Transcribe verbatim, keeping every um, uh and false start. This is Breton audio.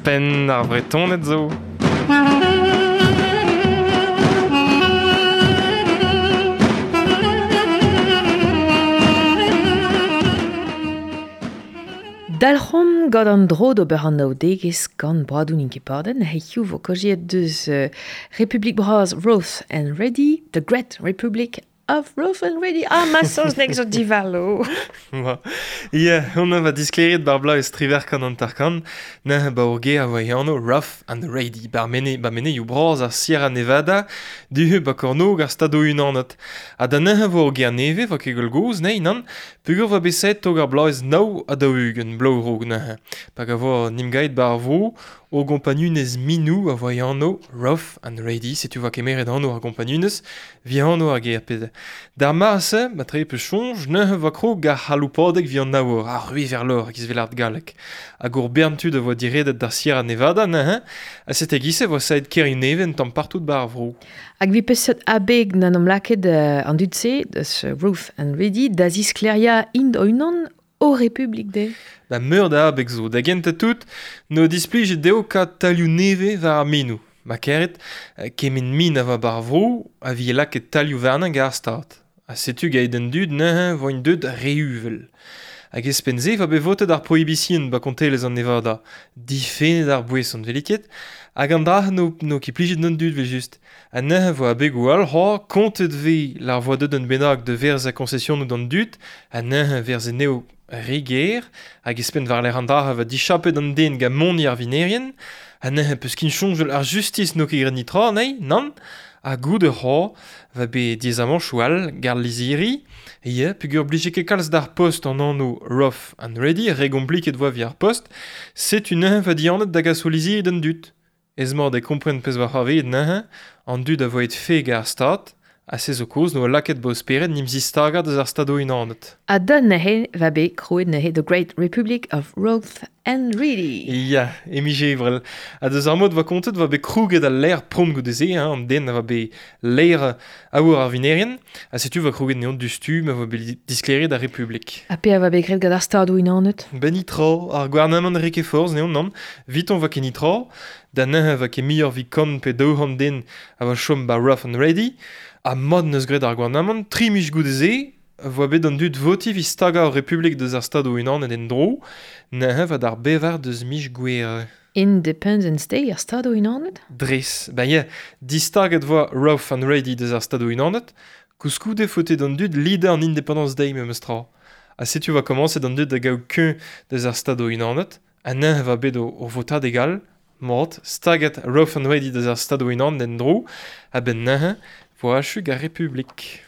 Penn ar Vretoned zo. Dalc'homp gant an dro d'ober an naoudegezh gant Bradoù n'int ket paden, hiziv vo kaozeet deus uh, Republik Bras Rough and Ready, The Great Republic of Rough and Ready. Ah, ma saozneg zo divalo. Ia, hon va diskleriet bar bla eus triver kan an tarkan, na ba ur ger a voa anv Rough and Ready, bar mene, ba mene ioù bras ar Sierra Nevada, duhu ba kornog ar stado unanet. Ha da neuze vo ur ger neve, va ket goz, nei, nan, pugur va beset tog ar bloaz nao a daou-ugent, bloaz rog neuze. Hag a vo nimgaet bar vo, o gompagnunez minou a voa anv Rough and Ready, setu va kemeret anv ar gompagnunez, vi anv ar ger ped. D'ar marse, ma tre pe chonj, neuze va krog ar c'haloupadeg vi an aour, ar rui ver lor, giz vel art gallek. Hag ur bern tud a voa diredet d'ar Sierra Nevada neuze, ha sete gise voa saet ker neven tamm partout bar ar vro. Hag vi peseurt abeg nan am laket uh, an dud-se, deus Rough and Ready, da ziskleria int o-unan o Republik de. Da meur da abeg zo, da genta tout, no displijet deo ka talioù neve war ar minou. Ma keret, kemen min a va bar vro, a vi laket talioù warnañ gant ar stad. Ha setu gaet an dud neuze voint deut re-uvel. Hag espenze va bet votet ar prohibition ba kontelez an Nevada, difennet ar boeson veliket, hag an dra no, no ket plijet d'an dud vel just. Ha neuze vo abegoù all c'hoa, kontet ve l'ar voa deut an bennak de verz a concession d'an dud, ha neuze verz neo re ger, hag espen war l'er an dra va dichapet an den ga moni ar vinerien, ha neuze peus kin soñjal ar justis no ket graet nitra, nei, nann, ha goude c'hoa va bet diazamanchoù all gar lizhiri, ia, pugur blije ket kalz d'ar post an anv Rough and Ready, re gompliket voa vi ar post, setu neuze va dianet da gas o lizhiri d'an dud. Ez mor de kompren pezh war c'hoarveet neuze, an dud a voet feg ar stad, ha se zo koz no laket bo speret nim zistaga deus ar stado unanet. Ha da neuze va bet krouet neuze The Great Republic of Rough and Ready. Ia, emi jevrel. Ha deus ar mod va kontet va bet krouget al l'air pront goude-se, hein, an den a va bet l'air aour ar vinerien, ha setu va krouget neon du stu ma va bet diskleriet ar Republik. Ha pe a va bet graet gant ar stado unanet? Ben nitra, ar gouarnamant re ket forz neon nann, viton va ket nitra, da neuze va ket muioc'h vi kant pe daou c'hant den a va chom ba Rough and Ready, ha mod neus graet ar gouarnamant, tri miz goude-se, voa bet an dud voti vi staga ar Republik deus ar stado unanet en dro, neuze va d'ar bevar deus miz gouere. Independence Day ar stado unanet? Dres, ben ya, distaget voa Rough and Ready deus ar stado unanet, koulskoude faote d'an dud lidañ an Independence Day memes tra. Ha setu va komañset an dud da gaout kuñv deus ar stado unanet, ha neuze va bet o, o votad egal, mat, staget Rough and Ready deus ar stado unanet en dro, ha ben neuze voa achu ar Republik.